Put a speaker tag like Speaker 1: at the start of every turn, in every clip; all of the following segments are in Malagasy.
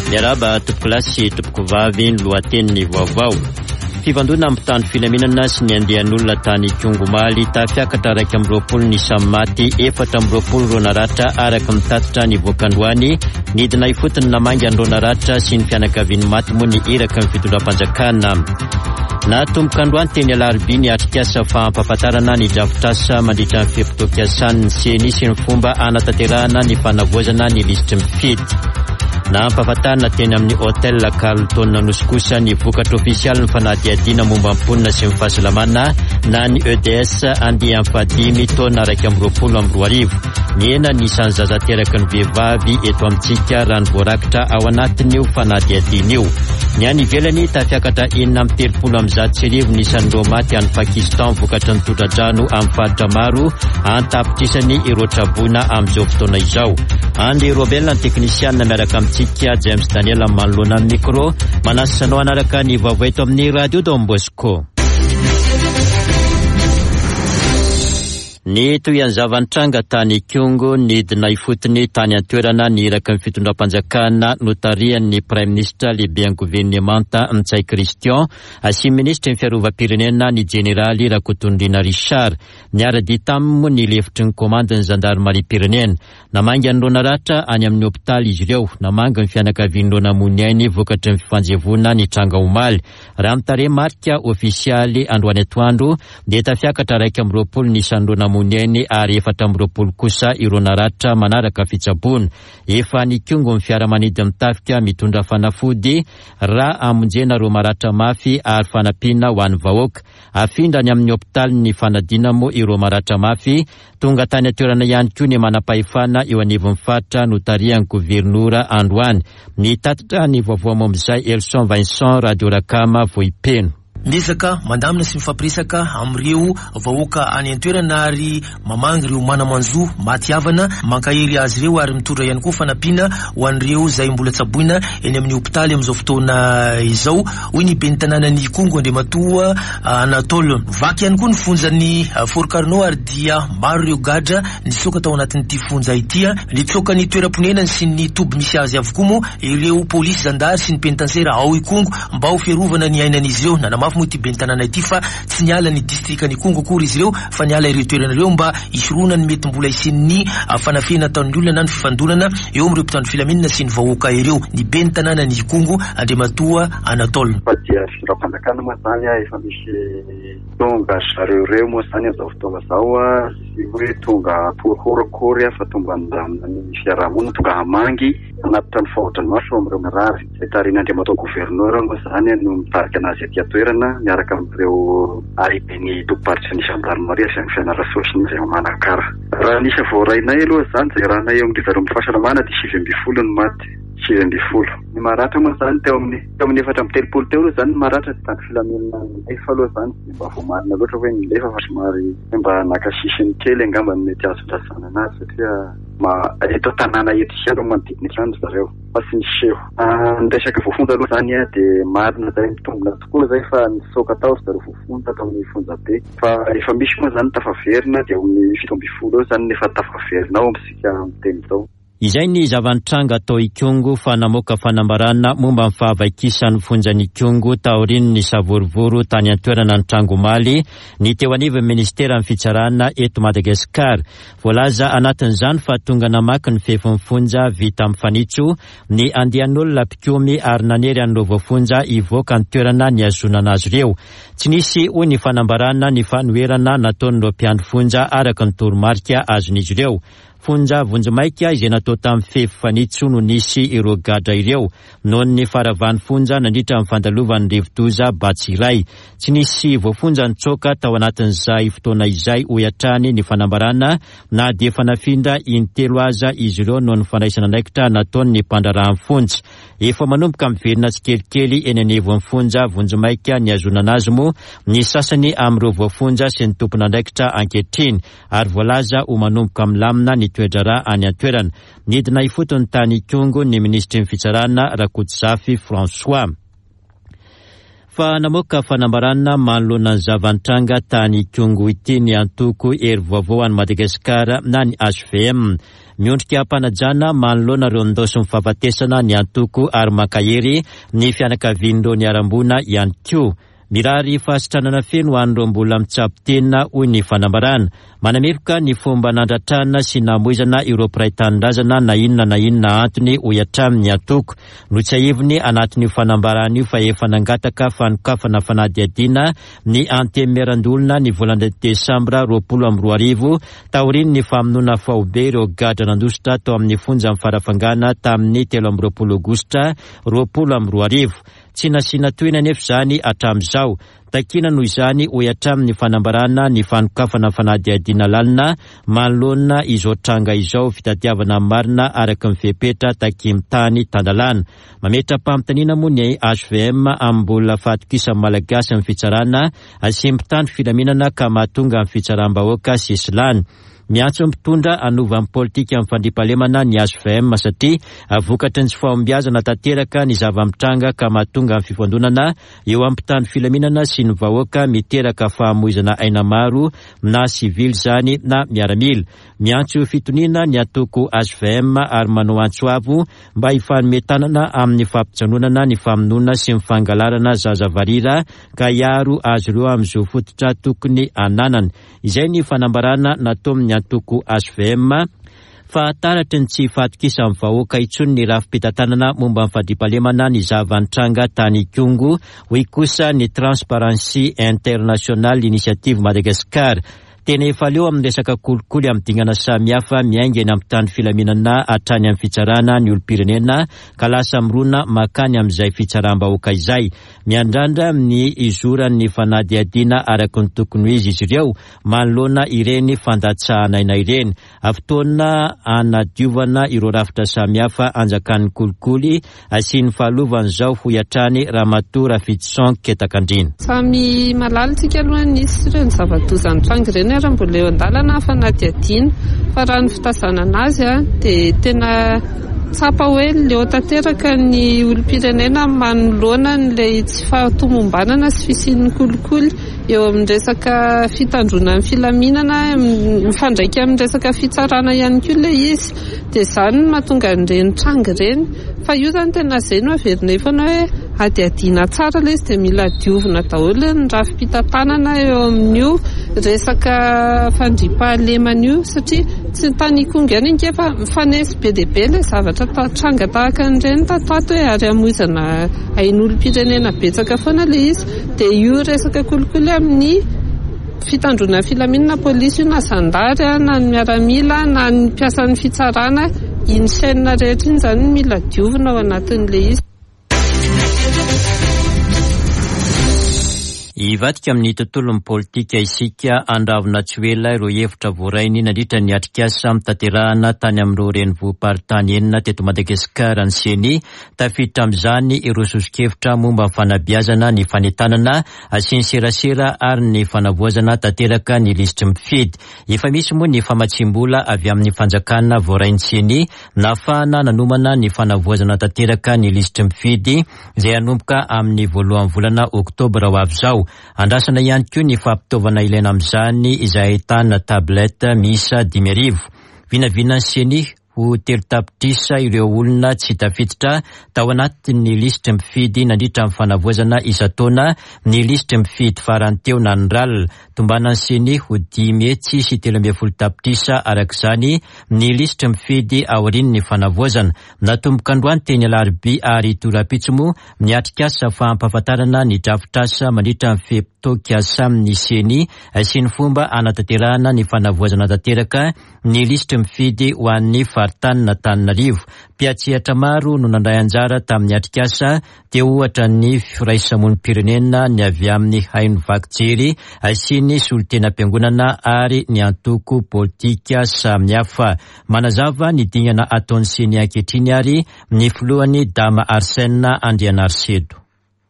Speaker 1: Miarahaba tompokolahy sy tompokovavy ny lohatenin'ny vaovao. Fifandonana amin'ny mpitandro filaminana sy ny andian'olona tany Ikongo omaly, tafiakatra 21 ny isan'ny maty, 24 ireo naratra araka ny tatitra nivoaka androany. Nidina ifotony namangy an'ireo naratra sy ny fianakavian'ny maty moa ny iraky ny fitondram-panjakana. Natomboka androany teny Alarobia ny atrikasa fampahafantarana ny drafitrasa mandritra ny fe-potoam-piasan'ny Ceni sy ny fomba hanatanterahana ny fanavaozana ny lisitry ny mpifidy. Nampahafantarina teny amin'ny Hotel Carlton Anosy kosa ny vokatra ofisialin'ny fanadihadiana momba ny mponina sy ny fahasalamana na ny EDS andiany fahadimy taona 2021. Nihena ny isan'ny zaza teraky ny vehivavy eto amintsika raha ny voarakitra ao anatin'io fanadihadiana io. Ny any ivelany, tafiakatra 1136 ny isan'ireo maty any Pakistan vokatry ny tondra-drano amin'ny faritra maro an-tapitrisany ireo traboina amin'izao fotoana izao. Andry Robel ny teknisianina miaraka amintsika, James Daniel manoloana ny micro. Manasa anao hanaraka ny vaovao eto amin'ny Radio Don Bosco. Ny tohian'ny zava-nitranga tany Ikongo, nidina ifotony tany an-toerana ny iraky ny fitondram-panjakana notarihan'ny Praiminisitra lehiben'ny governemanta Ntsay Christian sy ny minisitry ny fiarovam-pirenena ny jeneraly Rakotonirina Richard. Niara-dia taminy moa ny lefitry ny komandin'ny zandarimariam-pirenena. Namangy an'ireo naratra any amin'ny hopitaly izy ireo. Namangy ny fianakavian'ireo namoy ny ainy vokatry ny fifanjevoana nitranga omaly. Raha ny tarehimarika ofisialy androany atoandro dia tafiakatra 21 ny isan'ireo namoy ny ainy ary 24 kosa ireo naratra manaraka fitsaboana. Efa nikongo ny fiaramanidin'ny tafika mitondra fanafody, ra hamonjena ireo maratra mafy ary fanampiana ho an'ny vahoaka. Afindra any amin'ny hopitalin'ny fanadina moa ireo maratra mafy. Tonga tany an-toerana ihany koa ny manam-pahefana eo anivon'ny faritra notarihan'ny governora androany. Nitatitra ny vaovao momba izay Elson Vincent, Radio Rakama, Vohipeno.
Speaker 2: Miezaka mandamina sy mifampiresaka amin'ireo vahoaka any an-toerana ary mamangy ireo mana-manjo maty havana, mankahery azy ireo ary mitondra ihany koa fanampiana ho an'ireo izay mbola tsaboina eny amin'ny hopitaly amin'izao fotoana izao, hoy ny ben'ny tanànan'i Ikongo Andriamatoa Anatole. Vaky ihany koa ny fonjan'i Fort Carnot ary dia maro ireo gadra nitsoaka tao anatin'ity fonja ity. Nitsoaka ny toeram-ponenany sy ny toby misy azy avokoa moa ireo polisy, zandary sy ny penitansera ao Ikongo mba ho fiarovana ny ainan'izy ireo. Nanamafy moa ity ben'ny tanàna ity fa tsy niala ny distrikan'Ikongo akory izy ireo fa niala ireo toerana ireo mba hisorohana ny mety mbola hisian'ny fanafihana ataon'ny olona na ny fifandonana eo amin'ireo mpitandro filaminana sy ny vahoaka ireo. Ny ben'ny tanànan'Ikongo, Andriamatoa Anatole.
Speaker 3: Fa dia fitondram-panjakana moa izany efa misy tonga ry zareo ireo moa izany amin'izao fotoana izao, tsy hoe tonga horohoro akory fa tonga handamina ny fiaraha-monina, tonga hamangy. Hanatitra ny fahodramaso amin'ireo marary. Izay tarihin'Andriamatoa Governora moa izany no mitarika anazy aty an-toerana miaraka amin'ireo lehiben'ny tobim-paritry ny Gendarmerie avy any Fianarantsoa sy ny avy any Manakara. Raha ny isa voarainay aloha izany izay raha eo amin-dry zareo amin'ny fahasalamana dia 19 no maty. 19. Ny maratra moa izany teo amin'ny teo amin'ny 34 teo aloha izany ny maratra dia tany filaminana nilefa aloha izany tsy dia mba voamarina loatra hoe nilefa fa somary hoe mba naka sisiny kely angamba no mety azo ilazana anazy satria Ma, eto an-tanàna eto ihany no manodidina eto ihany ry zareo fa tsy niseho. Ny resaka voafonja aloha izany dia marina izay, mitombina tokoa izay fa nitsoaka tao ry zareo voafonja tao amin'ny fonjabe. Fa efa misy moa izany tafaverina dia eo amin'ny 17 eo izany no efa tafaverina ao amintsika miteny izao.
Speaker 1: Izay ny zava-nitranga tao Ikongo fa namoaka fanambarana momba ny fahavaikisan'ny fonjan'Ikongo taorian'ny savorovoro tany an-toerana nitranga omaly ny teo anivon'ny ministeran'ny fitsarana eto Madagasikara. Voalaza anatin'izany fa tonga namaky ny fefin'ny fonja vita amin'ny fanitso ny andian'olona mpikomy ary nanery an'ireo voafonja hivoaka ny toerana nihazonana azy ireo. Tsy nisy, hoy ny fanambarana, ny fanoherana nataon'ireo mpiandry fonja araka ny toromarika azon'izy ireo. Fonja vonjimaika izay natao tamin'ny fefy fanitso no nisy ireo gadra ireo. Noho ny faharavan'ny fonja nandritra ny fandalovan'ny rivodoza Batsirai. Tsy nisy voafonja nitsoaka tao anatin'izay fotoana izay, hoy hatrany ny fanambarana, na dia efa nafindra intelo aza izy ireo noho ny fandraisana andraikitra nataon'ny mpandraharahan'ny fonja. Efa manomboka miverina tsikelikely eny anivon'ny fonja vonjimaika nihazonana azy moa ny sasany amin'ireo voafonja sy ny tompon'andraikitra ankehitriny, ary voalaza ho manomboka milamina ny toe-draharaha any an-toerana. Nidina ifotony tany Ikongo ny minisitry ny Fitsarana, Rakotozafy François. Fa namoaka fanambarana manoloana ny zava-nitranga tany Ikongo ity ny antoko Hery Vaovao an'i Madagasikara na ny hvm. Miondrika am-panajana manoloana ireo nindaosin'ny fahafatesana ny antoko ary mankahery ny fianakavian'ireo niharam-boina ihany koa. Mirary fahasitranana feno ho an'ireo mbola mitsabo tena, hoy ny fanambarana. Manameloka ny fomba nandratrana sy namoizana ireo mpiray tanindrazana na inona na inona antony, hoy hatrany ny antoko. Notsiahiviny anatin'io fanambarana io fa efa nangataka fanokafana fanadihadiana ny Antenimierandoholona ny volana desambra 2020 taorian'ny famonoana faobe ireo gadra nandositra tao amin'ny fonjan'i Farafangana tamin'ny 23 aogositra 2020. Tsy nasiana tohiny anefa izany hatramin'izao. Takiana noho izany, hoy hatrany ny fanambarana, ny fanokafana fanadihadiana lalina manoloana izao tranga izao, fitadiavana ny marina araka ny fepetra takian'ny tany tan-dalàna. Mametra-panontaniana moa ny hvm amin'ny mbola fahatokisan'ny Malagasy ny fitsarana sy ny mpitandro filaminana ka mahatonga ny fitsaram-bahoaka sesilany. Miantso ny mpitondra hanova ny politikan'ny fandriampahalemana ny hvm satria vokatry ny tsy fahombiazana tanteraka ny zava-mitranga ka mahatonga ny fifandonana eo amin'ny mpitandro filaminana sy ny vahoaka miteraka fahamoizana aina maro na sivily izany na miaramila. Miantso fitoniana ny antoko hvm ary manao antso avo mba hifanome tanana amin'ny fampijanonana ny famonoana sy ny fangalarana zaza varira ka hiaro azy ireo amin'ny zo fototra tokony hananany. Izay ny fanambarana nataon'ny antoko hvm fa taratry ny tsy fahatokisan'ny vahoaka intsony ny rafi-pitantanana momba ny fandriampahalemana ny zava-nitranga tany Ikongo, hoy kosa ny Transparency International Initiative Madagascar. Tena efa leo amin'ny resaka kolikoly amin'ny dingana samihafa miainga eny amin'ny mpitandro filaminana hatrany amin'ny fitsarana ny olom-pirenena ka lasa mirona mankany amin'izay fitsaram-bahoaka izay. Miandrandra ny hizoran'ny fanadihadiana araka ny tokony ho izy izy ireo manoloana ireny fandatsahan'aina ireny. Fotoana hanadiovana ireo rafitra samihafa anjakan'ny kolikoly sy ny fahalovana izao, hoy hatrany Ramatoa Rafidison Ketakandriana.
Speaker 4: Samy mahalala isika aloha nisy ireny zava-doza nitranga ireny ary mbola eo an-dalana ny fanadihadiana fa raha ny fitazanana azy dia tena tsapa hoe leo tanteraka ny olom-pirenena manoloana an'ilay tsy fahatomombanana sy fisian'ny kolikoly eo amin'ny resaka fitandroana ny filaminana, mifandraika amin'ny resaka fitsarana ihany koa ilay izy. Dia izany no mahatonga an'ireny tranga ireny. Fa io izany tena izay no averinay foana hoe hadihadiana tsara ilay izy dia mila diovina daholo ny rafi-pitantanana eo amin'io resaka fandriampahalemana io satria tsy ny tany Ikongo ihany ange fa mifanesy be dia be ilay zavatra tranga tahaka an'ireny tato ato e, ary hamoizana ain'olom-pirenena betsaka foana ilay izy. Dia io resaka kolikoly amin'ny fitandroana filaminana polisy io na zandary na ny miaramila na ny mpiasan'ny fitsarana, iny chaîne rehetra iny izany no mila diovina ao anatin'ilay izy.
Speaker 1: Hivadika amin'ny tontolon'ny politika isika, handravona tsy ho ela ireo hevitra voarainy nandritra ny atrikasa notanterahana tany amin'ireo renivohi-paritany enina teto Madagasikara ny Ceni. Tafiditra amin'izany ireo soso-kevitra momba ny fanabeazana, ny fanentanana sy ny serasera ary ny fanavoazana tanteraka ny lisitry ny mpifidy. Efa misy moa ny famatsiam-bola avy amin'ny fanjakana voarain'ny Ceni nahafahana nanomana ny fanavoazana tanteraka ny lisitry ny mpifidy izay hanomboka amin'ny voalohan'ny volana oktobra ho avy izao. Andrasana ihany koa ny fampitaovana ilaina amin'izany izay ahitana tablette miisa 5000. Vinavinan'ny Ceni ho 3 tapitrisa ireo olona tsy tafiditra tao anatin'ny lisitry ny mpifidy nandritra ny fanavoazana isan-taona ny lisitry ny mpifidy farany teo na ny RAL. Tombanan'ny Ceni ho 513 tapitrisa araka izany ny lisitry ny mpifidy aorian'ny fanavoazana. Natomboka androany teny Alarobia ary rahampitso moa ny atrikasa fampahafantarana ny drafitrasa mandritra ny fe-potoam-piasan'ny Ceni sy ny fomba hanatanterahana ny fanavoazana tanteraka ny lisitry ny mpifidy ho an'ny faritanin'Antananarivo. Mpiantsehatra maro no nandray anjara tamin'ny atrikasa, teo ohatra ny firaisamonim-pirenena, ny avy amin'ny haino vaky jery sy ny solontenam-piangonana ary ny antoko politika samihafa. Manazava ny dingana ataon'ny Ceni ankehitriny ary ny filohany Dama Arsène Andrianarisedo.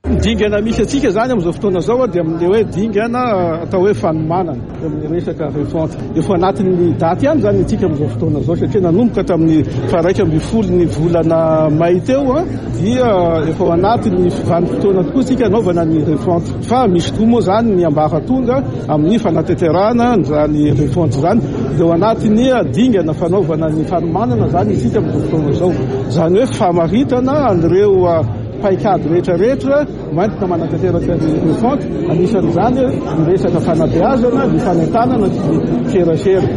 Speaker 5: Ny dingana misy antsika zany amin'izao fotoana izao dia amin'le hoe dingana atao hoe fanomanana amin'ny resaka refonte. Efa anatin'ny daty ihany zany antsika amin'izao fotoana izao satria nanomboka tamin'ny faha-11 ny volana may teo dia efa ao anatin'ny vanim-potoana tokoa isika anaovana ny refonte. Fa misy koa moa zany ny ambaratonga amin'ny fanatanterahana zany refonte zany. Dia ao anatin'ny dingana fanaovana ny fanomanana izany isika amin'izao fotoana izao. Izany hoe famaritana an'ireo paikady rehetra rehetra hoentina manatanteraka ny refonte, anisan'izany ny resaka fanabeazana, ny fanentanana sy ny serasera.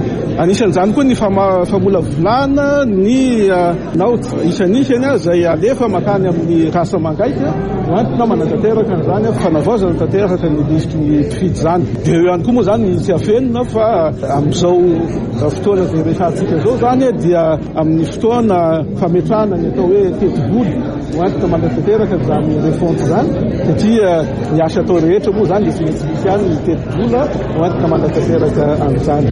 Speaker 5: Anisan'izany koa ny famolavolana ny naoty isanisany izay alefa mankany amin'ny rasa mangaika hoentina manatanteraka an'izany fanavaozana tanteraka ny lisitry ny mpifidy izany. Dia eo ihany koa moa izany ny tsy afenina fa amin'izao fotoana izay resahantsika izao izany dia amin'ny fotoana fametrahana ny atao hoe tetibola hoentina manatanteraka izany refonte izany satria ny asa atao rehetra moa izany dia tsy maintsy misy ihany ny tetibola hoentina manatanteraka an'izany.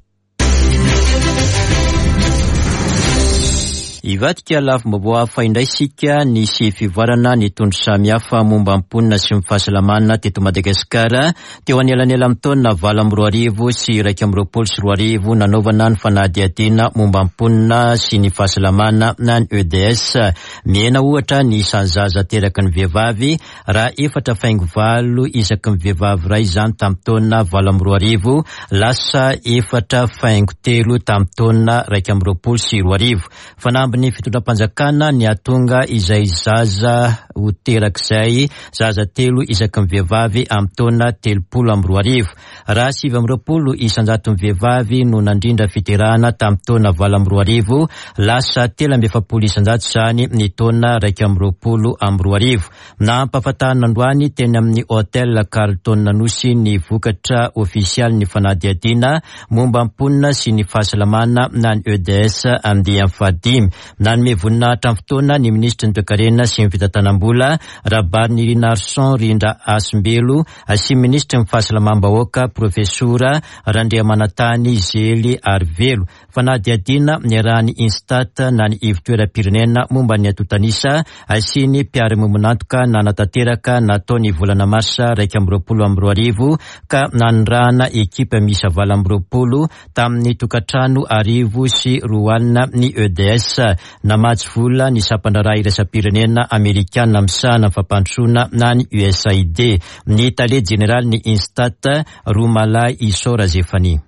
Speaker 1: Hivadika lafim-baovao hafa indray isika, nisy fivoarana ny tondro samihafa momba ny mponina sy ny fahasalamana teto Madagasikara teo anelanelan'ny taona 2008 sy 2021 nanaovana ny fanadihadiana momba ny mponina sy ny fahasalamana na ny EDS. Mihena ohatra ny isan'ny zaza ateraky ny vehivavy raha efatra faingo valo isaky ny vehivavy iray izany tamin'ny taona 2008, lasa efatra faingo telo tamin'ny taona 2021. Fanambin'ny fitondram-panjakana ny hahatonga izay zaza ho terak'izay zaza telo isaky ny vehivavy amin'ny taona 2030. Raha 29 isanjaton'ny vehivavy no nandrindra fiterahana tamin'ny taona 2008, lasa 43% izany ny taona 2021. Nampahafantarina androany teny amin'ny Hotel Carlton Anosy ny vokatra ofisialin'ny fanadihadiana momba ny mponina sy ny fahasalamana na ny EDS andiany fahadimy. Nanome voninahitra ny fotoana ny minisitry ny Toekarena sy ny fitantanam-bola, Rabarinirinarison Rindra Hasimbelo, sy minisitry ny Fahasalamam-bahoaka, Profesora Randriamanantany Zely Arivelo. Fanadihadiana niarahan'ny Instat na ny Ivontoeram-pirenena momba ny antontan'isa sy ny mpiara-miombon'antoka nanatanteraka natao ny volana marsa 2021 ka nanirahana ekipa miisa 28 tamin'ny tokantrano 120 ny EDS. Namatsy vola ny sampan-draharaha iraisam-pirenena amerikana misahana ny fampandrosoana na ny USAID. Ny tale jeneralin'ny Instat, Romalahy Isaora Zephanie.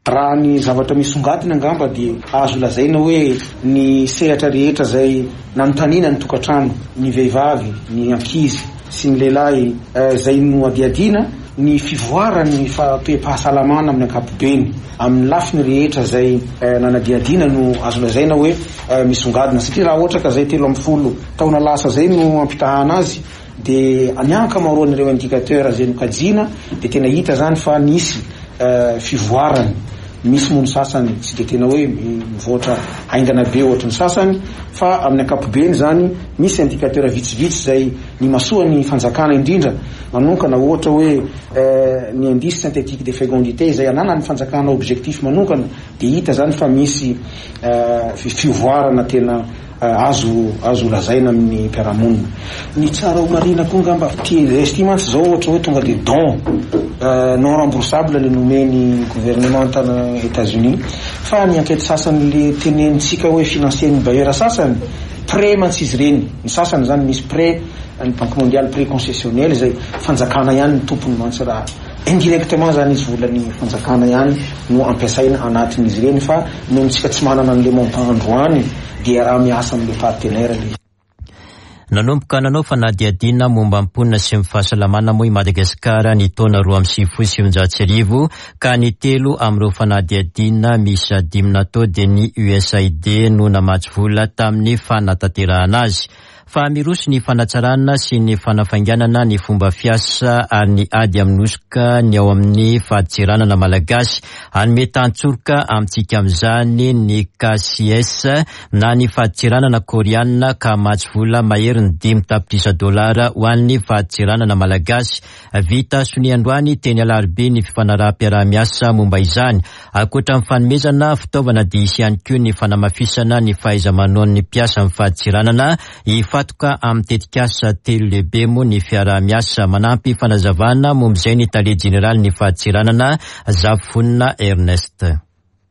Speaker 6: Raha ny zavatra misongadina angamba dia azo lazaina hoe ny sehatra rehetra izay nanontaniana ny tokantrano, ny vehivavy, ny ankizy sy ny lehilahy izay nohadihadiana, ny fivoaran'ny toe-pahasalamana amin'ny ankapobeny, amin'ny lafiny rehetra izay nanadihadiana no azo lazaina hoe misongadina satria raha ohatra ka izay 13 taona lasa izay no ampitahana azy Dia ny ankamaroan'ireo indicateurs izay nokajiana dia tena hita izany fa nisy fivoarany. Misy moa ny sasany tsy dia tena hoe mivoatra haingana be ohatry ny sasany fa amin'ny ankapobeny izany misy indicateur vitsivitsy izay nimasoan'ny fanjakana indrindra manonkana ohatra hoe ny indice synthétique de fécondité izay ananan'ny fanjakana objectif manonkana dia hita izany fa misy fivoarana tena Azo azo lazaina amin'ny mpiara-monina. Ny tsara ho marihina koa angamba, ity EDS ity mantsy izao ohatra hoe tonga dia don non remboursable le nomen'ny gouvernement tany Etats-Unis. Fa ny enquête sasany le tenenintsika hoe financer-n'ny bailleur sasany, prêt mantsy izy ireny. Ny sasany izany misy prêt an'ny Banque mondiale, prêt concessionnel izay fanjakana ihany ny tompony mantsy raha Indirectement zany izy volan'ny fanjakana ihany no ampiasaina anatin'izy ireny fa noho tsika tsy manana an'le montant androany dia raha miasa amin'le partenaire le izy.
Speaker 1: Nanomboka nanao fanadihadiana momba ny mponina sy ny fahasalamana moa i Madagasikara ny taona 1992 ka ny telo amin'ireo fanadihadiana miisa dimy natao dia ny USAID no namatsy vola tamin'ny fanatanterahana azy. Fa miroso ny fanatsarana sy ny fanafainganana ny fomba fiasa ary ny ady amin'ny hosoka ny ao amin'ny fadintseranana malagasy. Hanome tantsoroka amintsika amin'izany ny KCS na ny fadintseranana koreanina ka hamatsy vola maherin'ny dimy tapitrisa dolara ho an'ny fadintseranana malagasy. Vita sonia androany teny Alarobia ny fifanaraham-piaraha-miasa momba izany. Ankoatra ny fanomezana fitaovana dia hisy ihany koa ny fanamafisana ny fahaiza-manaon'ny mpiasa amin'ny fadintseranana. Hifantoka amin'ny tetikasa telo lehibe moa ny fiaraha-miasa. Manampy fanazavana momba izay ny tale jeneralin'ny fadintseranana, Zafifonina Ernest.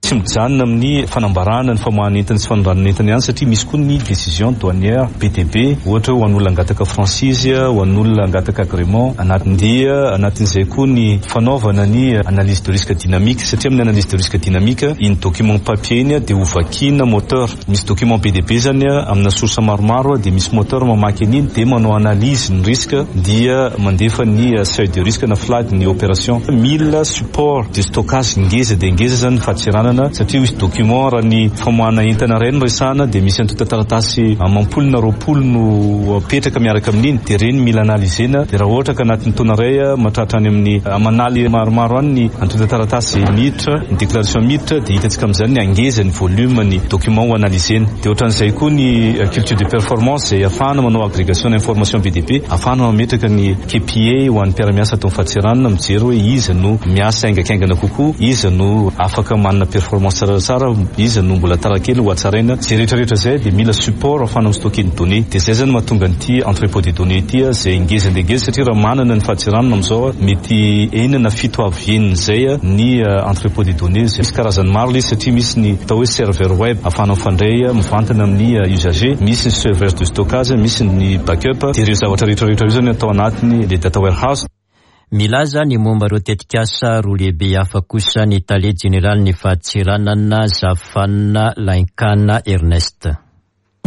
Speaker 7: Tsy mijanona amin'ny fanambarana ny famoahana entana sy fanondranana entana ihany satria misy koa ny décision douanière be dia be, ohatra hoe ho an'olona hangataka franchise, ho an'olona hangataka agrément anatin'ny dia anatin'izay koa ny fanaovana ny analyse de risque dynamique satria amin'ny analyse de risque dynamique iny document papier iny dia ho vakiana moteur, misy document be dia be izany amina source maromaro dia misy moteur mamaky an'iny dia manao analyse ny risque dia mandefa ny seuil de risque na flag ny opération. Mila support de stockage ngeza dia ngeza izany ny fadintseranana satria misy document raha ny famoahana entana iray no resahana dia misy antontan-taratasy amam-polo na 20 no apetraka miaraka amin'iny dia ireny mila analyser-na dia raha ohatra ka anatin'ny taona iray mahatratra any amin'ny aman'aly maromaro any ny antontan-taratasy izay miditra, ny déclaration miditra dia hitantsika amin'izany ny hangeza ny volume ny document ho analyser-na. Dia ohatran'izay koa ny culture de performance izay ahafahana manao agrégation d'information be dia be, ahafahana mametraka ny KPI ho an'ny mpiara-miasa ato amin'ny fadintseranana, mijery hoe iza no miasa haingankaingana kokoa, iza no afaka manana performance tsaratsara, iza no mbola tara kely ho hatsaraina. Izay rehetra rehetra izay dia mila support ahafahana mi-stocker ny données. Dia izay izany no mahatonga an'ity entrepot de données ity izay ngeza dia ngeza satria raha manana ny fadintseranana amin'izao mety enina na fito avo henin'izay ny entrepot de données. Misy karazany maro ilay izy satria misy ny atao hoe serveur web ahafahana mifandray mivantana amin'ny usager, misy ny serveur de stockage, misy ny backup, dia ireo zavatra rehetra rehetra ireo izany atao anatiny ilay data warehouse.
Speaker 1: Milaza ny momba ireo tetikasa roa lehibe hafa kosa ny tale jeneralin'ny fadintseranana Zafifanina Lainkana Ernest.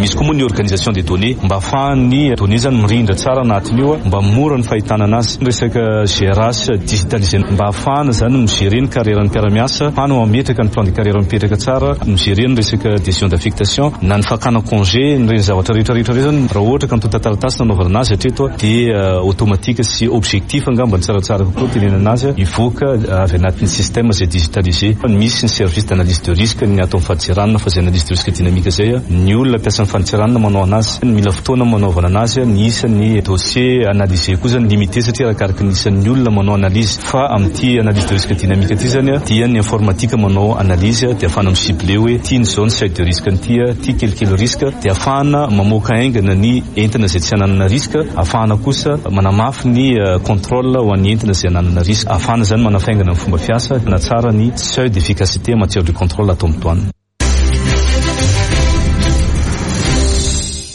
Speaker 7: Misy koa moa ny organisation des données mba ahafahan'ny données zany mirindra tsara anatin'io mba mora ny fahitana anazy. Ny resaka GRH digitalisé mba ahafahana zany mi-gérer ny carrière-n'ny mpiara-miasa, ahafahana mametraka ny plan de carrière mipetraka tsara, mi-gérer ny resaka décision d'affectation na ny fakana congé, ireny zavatra rehetra rehetra ireny zany raha ohatra ka antontan-taratasy nanaovana anazy hatreto dia automatique sy objectif angamba ny tsaratsara kokoa tenenana anazy hivoaka avy anatin'ny système izay digitalisé. Misy ny service d'analyse de risque ny ato amin'ny fadintseranana fa izay analyse de risque dynamique izay ny olona mpiasan'ny fadintseranana manao anazy, mila fotoana manaovana anazy, ny isan'ny dossier analysé koa zany limité satria arakaraky ny isan'ny olona manao analyse fa amin'ity analyse de risque dynamique ity zany dia ny informatique manao analyse dia ahafahana mi-cibler hoe ity ny zao ny seuil de risque an'ity, ity kelikely risque dia ahafahana mamoaka haingana ny entana izay tsy ananana risque, ahafahana kosa manamafy ny contrôle ho an'ny entana izay ananana risque, ahafahana izany manafaingana ny fomba fiasa, manatsara ny seuil d'efficacité en matière de contrôle ato amin'ny douane.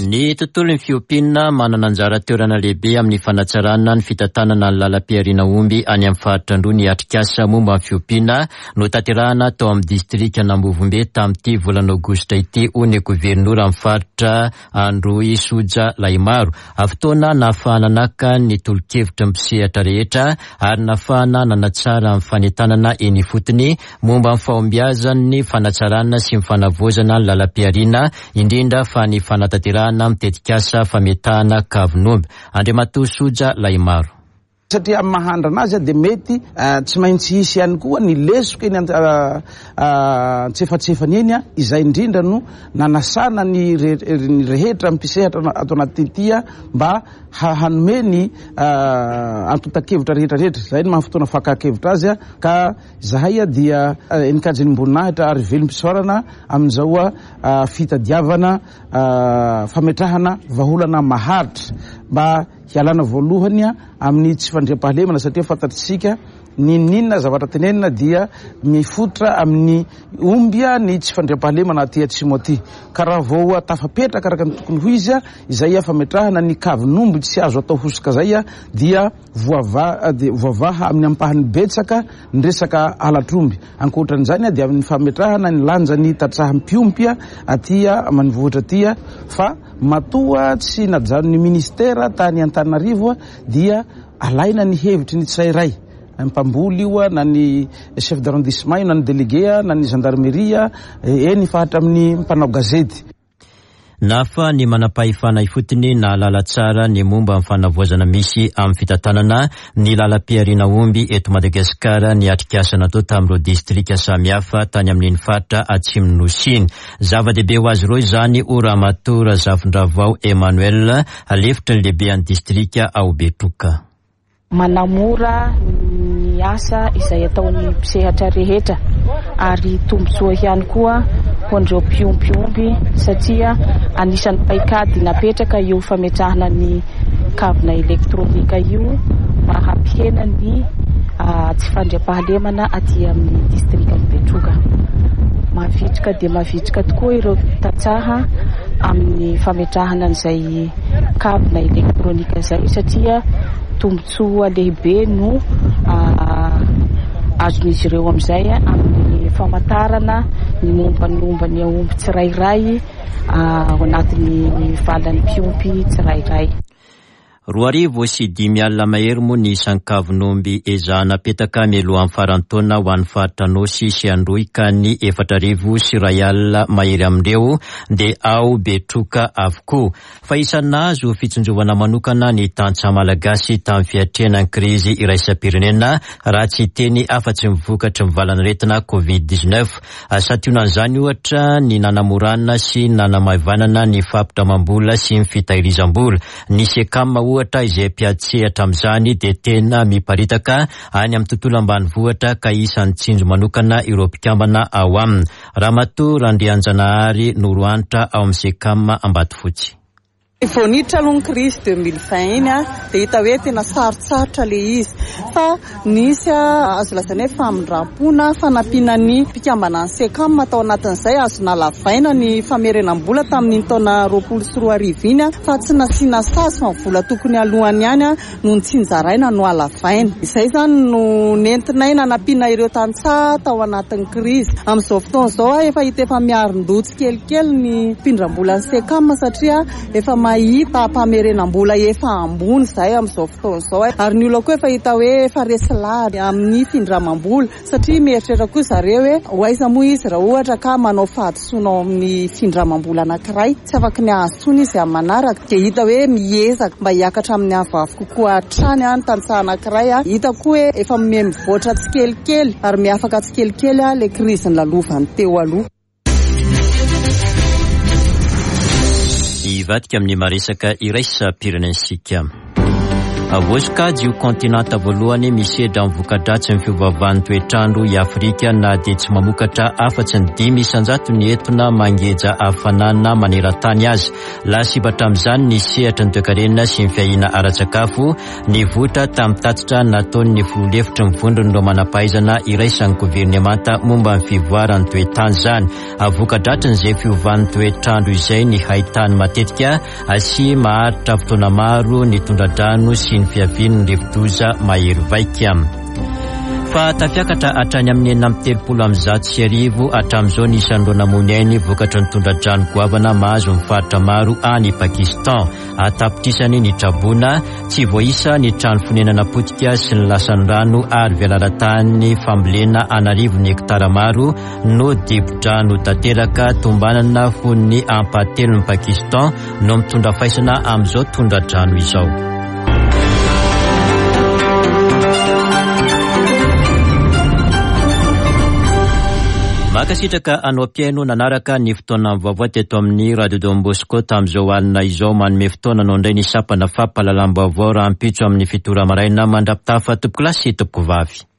Speaker 1: Ny tontolon'ny fiompiana manana anjara toerana lehibe amin'ny fanatsarana ny fitantanana ny lalam-pihariana omby any amin'ny faritra Androy ny atrikasa momba ny fiompiana notanterahana tao amin'ny distrikan'Ambovombe tamin'ity volana aogositra ity hoy ny governoran'ny faritra Androy Soja Lahimaro. Fotoana nahafahana naka ny tolo-kevitry ny mpisehatra rehetra ary nahafahana nanatsara ny fanentanana eny ifotony momba ny fahombiazan'ny fanatsarana sy ny fanavaozana ny lalam-pihariana, indrindra fa ny fanatanterahana ny tetikasa fametahana kavin'omby. Andriamatoa Soja Lahimaro.
Speaker 8: Satria amin'ny maha andrana azy dia mety tsy maintsy hisy ihany koa ny lesoka eny antsefatsefany eny, izay indrindra no nanasana ny rehetra mpisehatra ato anatin'ity mba hanome ny antontan-kevitra rehetra rehetra. Izay no maha fotoana fakan-kevitra azy ka izahay dia enin-kajinimboninahitra ary velom-pisaorana amin'izao fitadiavana fametrahana vahaolana maharitra mba Hialana voalohany amin'ny tsy fandriampahalemana satria fantatr'isika n'inon'inona zavatra tenenina dia mifototra amin'ny omby ny tsy fandriampahalemana aty atsimo aty. Ka raha vao tafapetraka araka ny tokony ho izy izay fametrahana ny kavin'omby tsy azo atao hosoka izay dia voavaha amin'ny ampahany betsaka ny resaka halatr'omby. Ankoatran'izany dia amin'ny fametrahana ny lanjan'ny tantsaha mpiompy aty ambanivohitra aty fa Matoa tsy najanon'ny ministera tany Antananarivo dia alaina ny hevitry ny tsirairay, ny mpamboly io na ny chef d'arrondissement io na ny délégué na ny gendarmerie, eny fa hatramin'ny mpanao gazety.
Speaker 1: Nahafaha ny manampahefana ifotony nahalala tsara ny momba ny fanavaozana misy amin'ny fitantanana ny lalam-pihariana omby eto Madagasikara ny atrikasa natao tamin'ireo distrika samihafa tany amin'iny faritra Atsimon'ny Nosy iny. Zava-dehibe ho azy ireo izany hoy Ramatoa Razafindravao Emmanuel, lefitry ny lehibean'ny distrika ao Betroka.
Speaker 9: Manamora ny asa izay ataon'ny mpisehatra rehetra ary tombontsoa ihany koa ho an'ireo mpiompy omby satria anisan'ny paikady napetraka io fametrahana ny kavina elektronika io mba hampihena ny tsy fandriampahalemana aty amin'ny distrikan'i Betroka. Mavitrika dia mavitrika tokoa ireo tantsaha amin'ny fametrahana an'izay kavina elektronika izay satria tombontsoa lehibe no azon'izy ireo amin'izay amin'ny famantarana ny momba ny momba ny aomby tsirairay ao anatin'ny valan'ny mpiompy tsirairay.
Speaker 1: 2500 mahery moa ny isan-kavon'omby ezahana apetaka mialohan'ny faran'ny taona ho an'ny faritra Anôsy sy Androy ka ny 4100 mahery amin'ireo dia ao Betroka avokoa. Fa isan'ny nahazo fitsinjovana manokana ny tantsaha malagasy tamin'ny fiatrehana ny krizy iraisam-pirenena raha tsy hiteny afa-tsy ny vokatry ny valanaretina Covid 19. Santionan'izany ohatra ny nanamorana sy nanamaivanana ny fampindramam-bola sy ny fitahirizam-bola. Ny Secam ohatra izay mpiady sehatra amin'izany dia tena miparitaka any amin'ny tontolo ambanivohitra ka isan'ny tsinjo manokana ireo mpikambana ao aminy. Ramatoa Randrianjanahary Norohanitra ao amin'ny Secam Ambatofotsy.
Speaker 10: Vao niditra aloha ny crise 2020 iny dia hita hoe tena sarotsarotra ilay izy fa nisy azo lazaina hoe famindram-pona fanampiana ny mpikambana ny SECAM tao anatin'izay, azo nalavaina ny famerenam-bola tamin'iny taona 2020 iny fa tsy nasiana sazy fa ny vola tokony halohany ihany no notsinjaraina no halavaina. Izay izany no nentinay nanampiana ireo tantsaha tao anatin'ny krizy. Amin'izao fotoana izao efa hita efa miarin-doha tsikelikely ny mpindram-bolan'ny SECAM satria efa mahita famerenam-bola efa ambony izahay amin'izao fotoana izao ary ny olona koa efa hita hoe efa resy lahatra amin'ny findramam-bola. Satria mieritreritra koa zareo hoe ho aiza moa izy raha ohatra ka manao fahadisoana ao amin'ny findramam-bola anankiray, tsy afaky ny hahazo intsony izy amin'ny manaraka. Dia hita hoe miezaka mba hiakatra amin'ny avoavo kokoa hatrany ny tantsaha anankiray. Hita koa hoe efa miha-mivoatra tsikelikely ary miha-afaka tsikelikely ilay krizy nolalovany teo aloha.
Speaker 1: Hivadika amin'ny maresaka iraisam-pirenentsika. Voasokajy ho kontinanta voalohany misedra ny voka-dratsin'ny fiovaovan'ny toetr'andro i Afrika na dia tsy mamokatra afa-tsy ny 5% ny etona mangeja hafanana maneran-tany aza. Lasibatra amin'izany ny sehatry ny toekarena sy ny fiahiana ara-tsakafo Nivoitra tamin'ny tatitra nataon'ny filoha lefitry ny vondron'ireo manam-pahaizana iraisan'ny governemanta momba ny fivoaran'ny toetany izany. Voka-dratrin'izay fiovan'ny toetr'andro izay ny haitany matetika sy maharitra fotoana maro ny tondra-drano sy ny fiavian'ny rivodoza mahery vaika. Fa tafiakatra hatrany amin'ny 1136 hatramin'izao ny isan'ireo namoy ny ainy vokatry ny tondra-drano goavana mahazo ny faritra maro any Pakistan. An-tapitrisany ny traboina, tsy voaisa ny trano fonenana potika sy ny lasan'ny rano ary velaran-tany fambolena an'arivony hektara maro no dibo-drano tanteraka. Tombanana ho ny ampahatelon'i Pakistan no mitondra faisana amin'izao tondra-drano izao. Mankasitraka anao mpihaino nanaraka ny fotoana vaovao teto amin'ny Radio Don Bosco tamin'izao alina izao. Manome fotoana anao indray ny sampana fampahalalam-baovao rahampitso amin'ny fito ora maraina. Mandra-pitafa tompokolahy sy tompokovavy.